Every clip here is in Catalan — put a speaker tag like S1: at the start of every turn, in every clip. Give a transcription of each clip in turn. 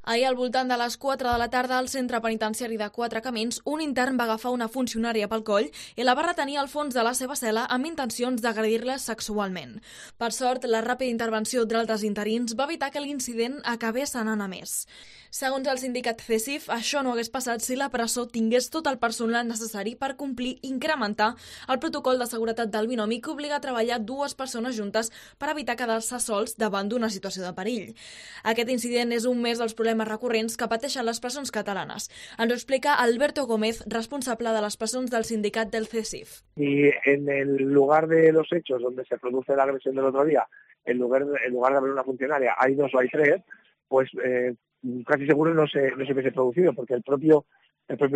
S1: Ahir, al voltant de les 4 de la tarda, al centre penitenciari de Quatre Camins, un intern va agafar una funcionària pel coll i la va retenir al fons de la seva cel·la amb intencions d'agredir-la sexualment. Per sort, la ràpida intervenció d'altres interins va evitar que l'incident acabés anant a més. Segons el sindicat CESIF, això no hagués passat si la presó tingués tot el personal necessari per complir i incrementar el protocol de seguretat del binomi que obliga a treballar dues persones juntes per evitar quedar-se sols davant d'una situació de perill. Aquest incident és un més dels problemes recurrents que pateixen les presons catalanes. Ens ho explica Alberto Gómez, responsable de les presons del sindicat del CESIF.
S2: Y en el lugar de los hechos donde se produce la agresión del otro día, en lugar de haber una funcionaria, hay dos o hay tres, pues casi seguro no se hubiese producido, porque el propio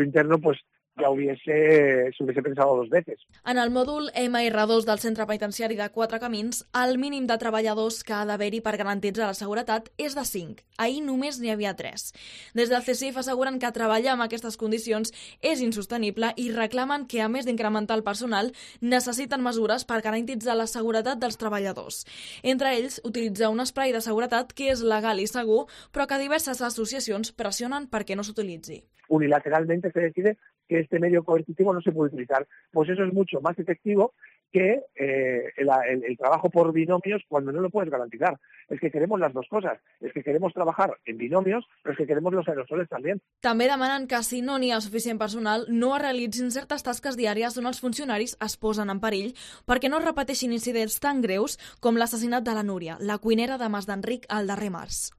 S2: interno pues ja se hubiese pensado dos veces.
S1: En el mòdul MR2 del centre penitenciari de Quatre Camins, el mínim de treballadors que ha d'haver-hi per garantir la seguretat és de 5. Ahir només n'hi havia 3. Des del CESIF asseguren que treballar en aquestes condicions és insostenible i reclamen que, a més d'incrementar el personal, necessiten mesures per garantir la seguretat dels treballadors. Entre ells, utilitzar un esprai de seguretat que és legal i segur, però que diverses associacions pressionen perquè no s'utilitzi.
S2: Unilateralmente se decide que este medio coercitivo no se puede utilizar. Pues eso es mucho más efectivo que el trabajo por binomios cuando no lo puedes garantizar. Es que queremos las dos cosas. Es que queremos trabajar en binomios, pero es que queremos los aerosoles también.
S1: També demanen que, si no n'hi ha suficient personal, no es realitzin certes tasques diàries on els funcionaris es posen en perill perquè no es repeteixin incidents tan greus com l'assassinat de la Núria, la cuinera de Mas d'Enric, al darrer març.